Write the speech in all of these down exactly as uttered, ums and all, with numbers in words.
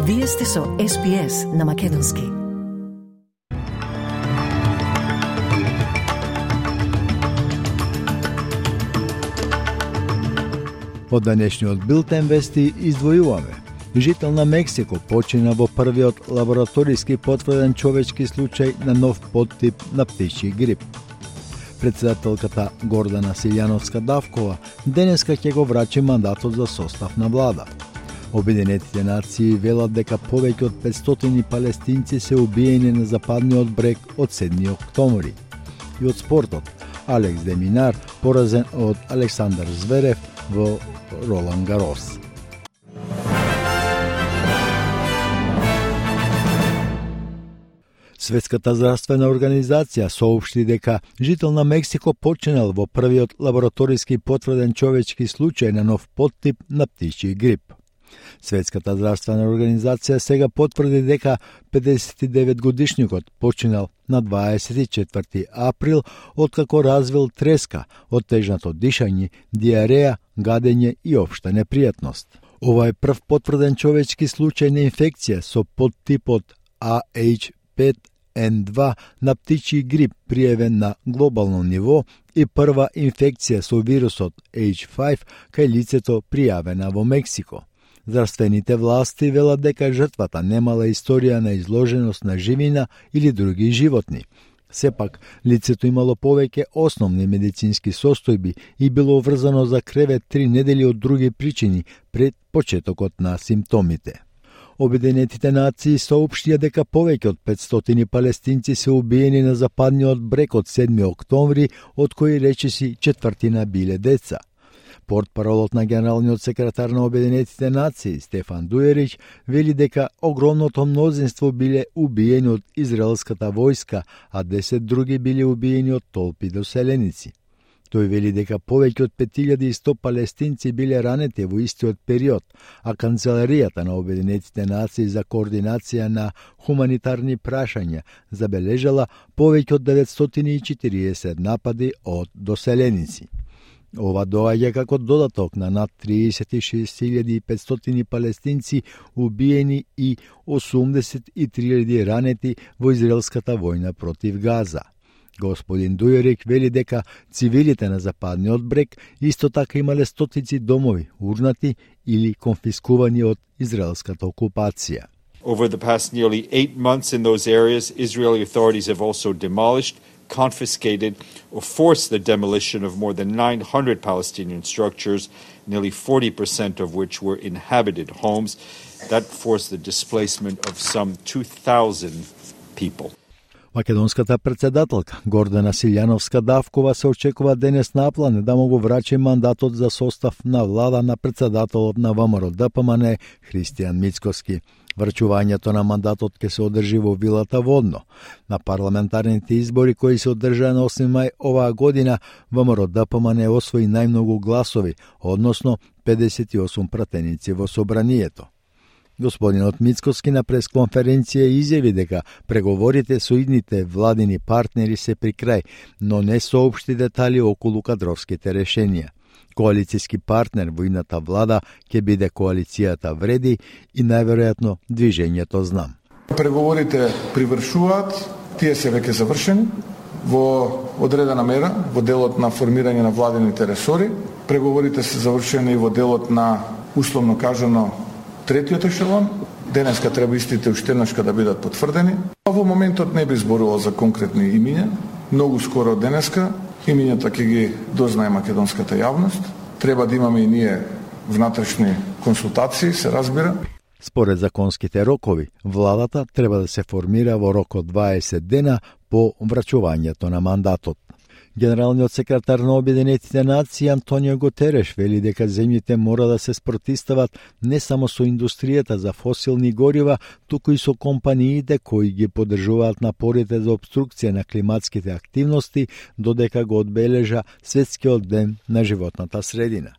Вие сте со Ес Би Ес на Македонски. Од денешниот билтен вести издвојуваме. Жител на Мексико почина во првиот лабораториски потврден човечки случај на нов подтип на птичји грип. Председателката Гордана Силјановска-Давкова денеска ќе го врачи мандатот за состав на влада. Обединетите нации велат дека повеќе од петстотини палестинци се убиени на западниот брег од седми октомври. И од спортот, Алекс де Минар поразен од Александар Зверев во Ролан Гарос. Светската здравствена организација соопшти дека жител на Мексико починал во првиот лабораториски потврден човечки случај на нов подтип на птичји грип. Светската здравствена организација сега потврди дека педесет и девет годишникот починал на дваесет и четврти април откако развил треска, оттежнато дишање, диареја, гадење и општа непријатност. Ова е прв потврден човечки случај на инфекција со подтипот А Еч пет Ен два на птичји грип пријавен на глобално ниво и прва инфекција со вирусот Еч пет кај лицето пријавена во Мексико. Здравствените власти велат дека жртвата немала историја на изложеност на живина или други животни. Сепак, лицето имало повеќе основни медицински состојби и било врзано за кревет три недели од други причини пред почетокот на симптомите. Обединетите нации соопштија дека повеќе од петстотини палестинци се убиени на западниот брег од седми октомври, од кои речиси четвртина биле деца. Портпаролот на генералниот секретар на Обединетите нации Стефан Дујерич вели дека огромното мнозинство биле убиени од израелската војска, а десет други биле убиени од толпи доселеници. Тој вели дека повеќе од пет илјади и сто палестинци биле ранети во истиот период, а Канцеларијата на Обединетите нации за координација на хуманитарни прашања забележала повеќе од деветстотини и четириесет напади од доселеници. Ова доаѓа како додаток на над триесет и шест илјади и петстотини палестинци убиени и осумдесет и три илјади ранети во израелската војна против Газа. Господин Дујерик вели дека цивилите на западниот брег исто така имале стотици домови урнати или конфискувани од израелската окупација. Over the past nearly eight months in those areas, Israeli authorities have also demolished, confiscated or forced the demolition of more than nine hundred Palestinian structures, nearly forty percent of which were inhabited homes. That forced the displacement of some two thousand people. Македонската председателка Гордана Силјановска-Давкова се очекува денес наплане да му го врачи мандатот за состав на влада на председателот на ВМРО Д П М Н Христијан Мицкоски. Врачувањето на мандатот ќе се одржи во вилата Водно. На парламентарните избори кои се одржаа на осми мај оваа година, ВМРО Д П М Н освои најмногу гласови, односно педесет и осум пратеници во собранието. Господинот Мицкоски на пресконференција изјави дека преговорите со идните владини партнери се при крај, но не соопшти детали околу кадровските решенија. Коалицијски партнер во идната влада ќе биде коалицијата Вреди и најверојатно движењето Знам. Преговорите привршуваат, тие се веќе завршени во одредена мера во делот на формирање на владините ресори. Преговорите се завршени и во делот на условно кажано третиот ешелон. Денеска треба истите уште еднашка да бидат потврдени. А во моментот не би зборувал за конкретни имиња. Многу скоро денеска имињата ќе ги дознае македонската јавност. Треба да имаме и ние внатрешни консултации, се разбира. Според законските рокови, владата треба да се формира во рок од дваесет дена по врачувањето на мандатот. Генералниот секретар на Обединетите нации Антонио Гутереш вели дека земјите мора да се спротивстават не само со индустријата за фосилни горива, туку и со компаниите кои ги поддржуваат напорите за обструкција на климатските активности, додека го одбележа Светскиот ден на животната средина.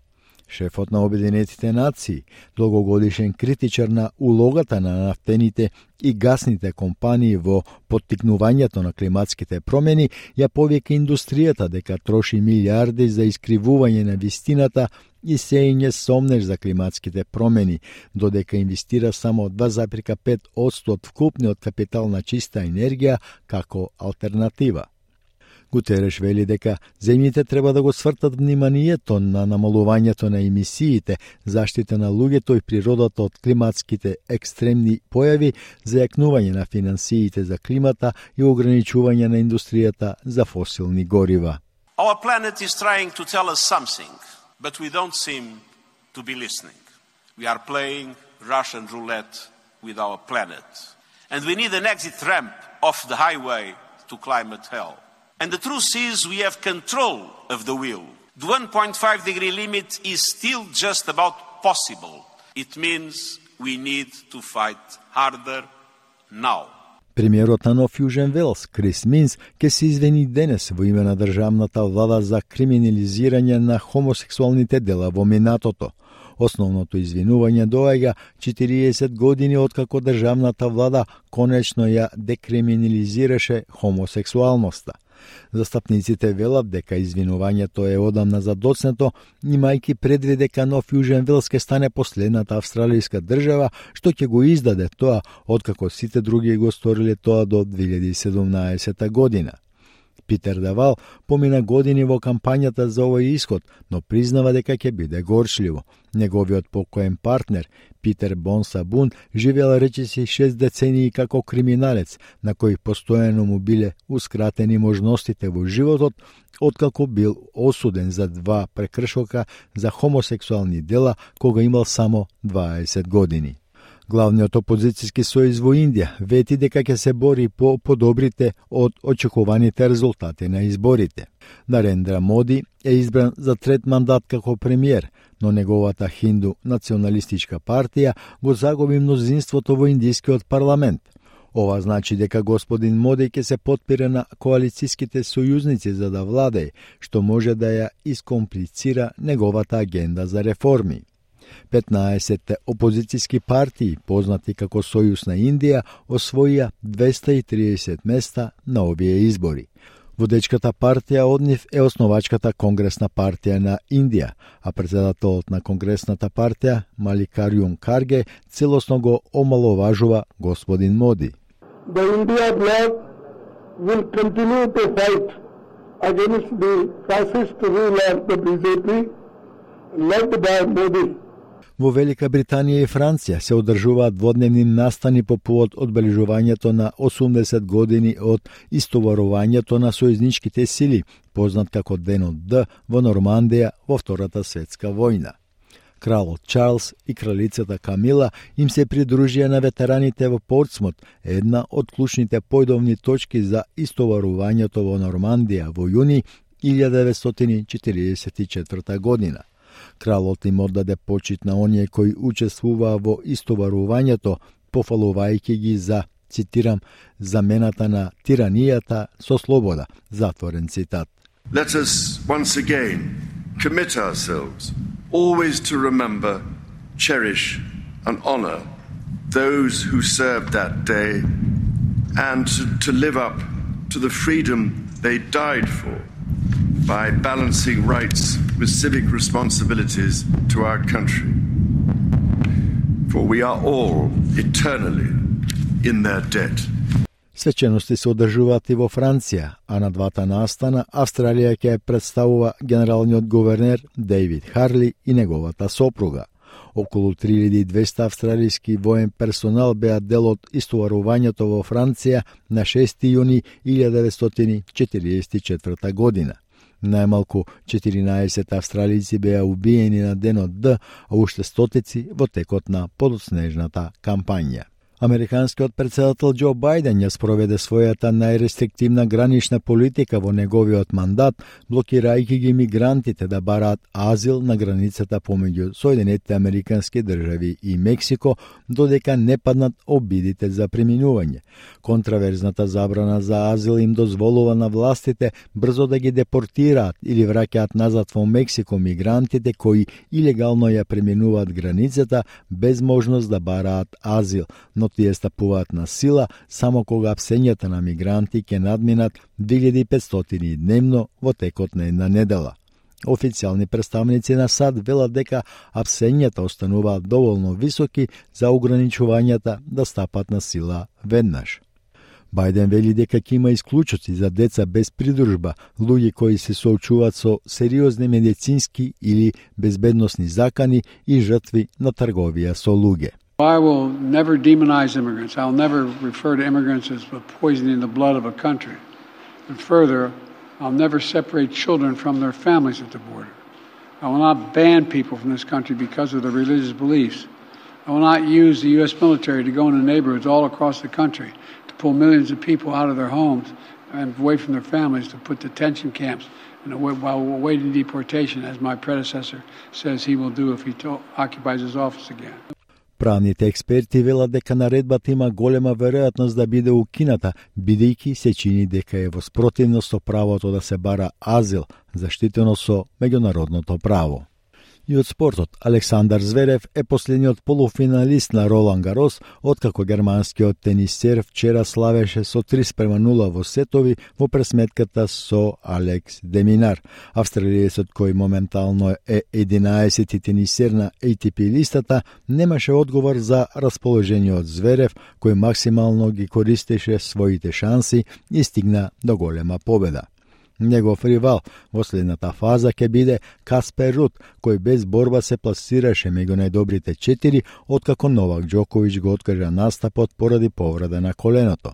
Шефот на Обединетите нации, долгогодишен критичар на улогата на нафтените и гасните компании во поттикнувањето на климатските промени, ја повика индустријата дека троши милиарди за искривување на вистината и сеење сомнеж за климатските промени, додека инвестира само два зарез пет одсто од вкупниот капитал на чиста енергија како алтернатива. Гутереш вели дека земјите треба да го свртат вниманието на намалувањето на емисиите, заштита на луѓето и природата од климатските екстремни појави, зајакнување на финансиите за климата и ограничување на индустријата за фосилни горива. Our planet is trying to tell us something, but we don't seem to be listening. We are playing Russian roulette with our planet. And we need an exit ramp off the highway to climate hell. And the truth is we have control of the wheel. The one point five degree limit is still just about possible. It means we need to fight harder now. Премиерот на Нов Јужен Велс, Крис Минс, ке се извини денес во име на државната влада за криминализирање на хомосексуалните дела во минатото. Основното извинување доаѓа четириесет години откако државната влада конечно ја декриминализираше хомосексуалноста. Застапниците велат дека извинувањето е одамна задоцнето, имајќи предвид дека Нов Јужен Велс ке стане последната австралијска држава што ќе го издаде тоа, откако сите други го сториле тоа до две илјади и седумнаесета година. Питер Давал помина години во кампањата за овој исход, но признава дека ќе биде горчливо. Неговиот покоен партнер, Питер Бонсабун, живеел речиси шест децении како криминалец, на кој постојано му билеускратени можностите во животот, откако бил осуден за два прекршока за хомосексуални дела кога имал само дваесет години. Главниот опозицијски сојуз во Индија вети дека ќе се бори по подобрите од очекуваните резултати на изборите. Нарендра Моди е избран за трет мандат како премиер, но неговата хинду националистичка партија го загуби мнозинството во индискиот парламент. Ова значи дека господин Моди ќе се потпира на коалицијските сојузници за да владее, што може да ја искомплицира неговата агенда за реформи. петнаесет опозицијски партии, познати како Сојуз на Индија, освоија двеста и триесет места на овие избори. Водечката партија од нив е основачката Конгресна партија на Индија, а председателот на Конгресната партија, Маликарјун Карге, целосно го омаловажува господин Моди. The India bloc will continue to fight against the fascist rule of the B J P led by Modi. Во Велика Британија и Франција се одржуваат дводневни настани по повод одбележувањето на осумдесет години од истоварувањето на сојузничките сили, познат како Денот Д во Нормандија во Втората светска војна. Кралот Чарлс и кралицата Камила им се придружија на ветераните во Портсмут, една од клучните појдовни точки за истоварувањето во Нормандија во јуни илјада деветстотини четиридесет и четврта година. Кралот им оддаде почит на оние кои учествуваа во истоварувањето, пофалувајќи ги за, цитирам, замената на тиранијата со слобода, затворен цитат. Let us once again commit ourselves always to remember, cherish and honor those who served that day and to, to live up to the freedom they died for by balancing rights with civic responsibilities to our country. For we are all eternally in their debt. Свечености се одржуваат и во Франција, а на двата настана Австралија ќе представува генералниот гувернер Дейвид Харли и неговата сопруга. Околу три илјади и двесте австралијски воен персонал беа дел од истоварувањето во Франција на шести јуни илјада деветстотини четиридесет и четврта година. Најмалку четиринаесет австралици беа убиени на Денот Д, а уште стотици во текот на подоснежната кампања. Американскиот председател Џо Бајден ја спроведе својата најрестриктивна гранична политика во неговиот мандат, блокирајќи ги мигрантите да бараат азил на границата помеѓу Соединетите американски држави и Мексико, додека не паднат обидите за преминување. Контраверзната забрана за азил им дозволува на властите брзо да ги депортираат или враќаат назад во Мексико мигрантите кои илегално ја преминуваат границата без можност да бараат азил, но тие стапуваат на сила само кога псењата на мигранти ќе надминат две илјади и петстотини дневно во текот на една недела. Официјални представници на САД велат дека апсењата остануваат доволно високи за ограничувањата да стапат на сила веднаш. Бајден вели дека ќе има исклучоци за деца без придружба, луѓе кои се соочуваат со сериозни медицински или безбедносни закани и жртви на трговија со луѓе. I will never demonize immigrants. I'll never refer to immigrants as poisoning the blood of a country. And further, I'll never separate children from their families at the border. I will not ban people from this country because of their religious beliefs. I will not use the U S military to go into neighborhoods all across the country to pull millions of people out of their homes and away from their families, to put detention camps and away, while awaiting deportation, as my predecessor says he will do if he to- occupies his office again. Правните експерти велат дека наредбата има голема веројатност да биде укината, бидејќи се чини дека е во спротивност со правото да се бара азил, заштитено со меѓународното право. И од спортот, Александар Зверев е последниот полуфиналист на Ролан Гарос, откако германскиот тенисер вчера славеше со три спрема нула во сетови во пресметката со Алекс Деминар. Австралиецот, кој моментално е единаесети тенисер на А Т П листата, немаше одговор за расположениот Зверев, кој максимално ги користеше своите шанси и стигна до голема победа. Негов ривал во следната фаза ќе биде Каспер Руд, кој без борба се пласираше меѓу најдобрите четири, откако Новак Џоковиќ го откажа настапот поради повреда на коленото.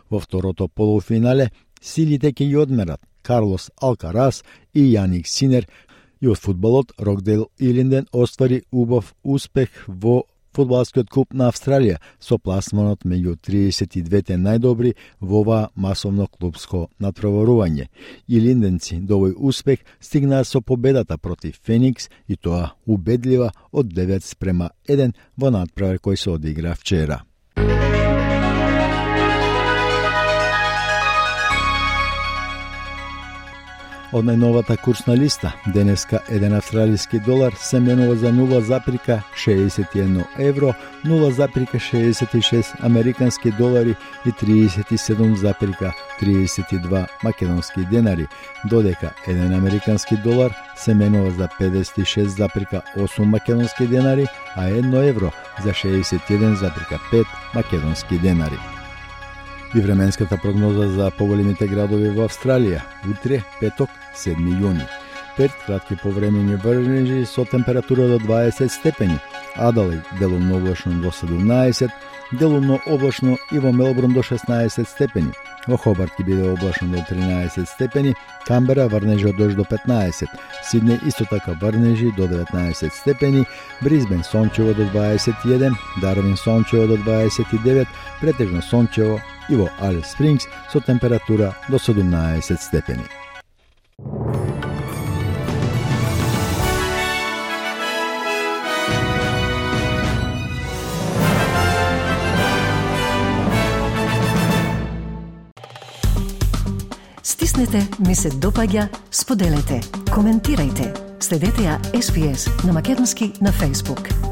Во второто полуфинале силите ќе ги одмерат Карлос Алкарас и Јаник Синер, и од фудбалот Рокдейл Илинден оствари убав успех во фудбалскиот куп на Австралија со пласманот меѓу триесет и двете најдобри во ова масовно клубско натпреварување. И линденци до овој успех стигнаа со победата против Феникс, и тоа убедлива од девет спрема еден во натпревар кој се одигра вчера. Од најновата курсна листа, денеска еден австралиски долар се менува за нула запирка шеесет и едно евро, нула запирка шеесет и шест американски долари и триесет и седум запирка триесет и два македонски денари, додека еден американски долар се менува за педесет и шест запирка осум македонски денари, а едно евро за шеесет и еден запирка пет македонски денари. И временската прогноза за поголемите градови во Австралија. Утре, петок, седми јуни. Перт, кратки повремени врнежи со температура до дваесет степени. Адалаид, делумно облачно до седумнаесет, делумно облачно и во Мелбурн до шеснаесет степени. Во Хобарт ќе биде облачно до тринаесет степени, Камбера врнежи од дожд до петнаесет, Сиднеј исто така врнежи до деветнаесет степени, Брисбен сончево до дваесет и еден, Дарвин сончево до дваесет и девет, претежно сончево и во Алис Спрингс со температура до седумнаесет степени. Стиснете, ми се допаѓа, споделете, коментирајте. Следете ја Ес Би Ес на македонски на Facebook.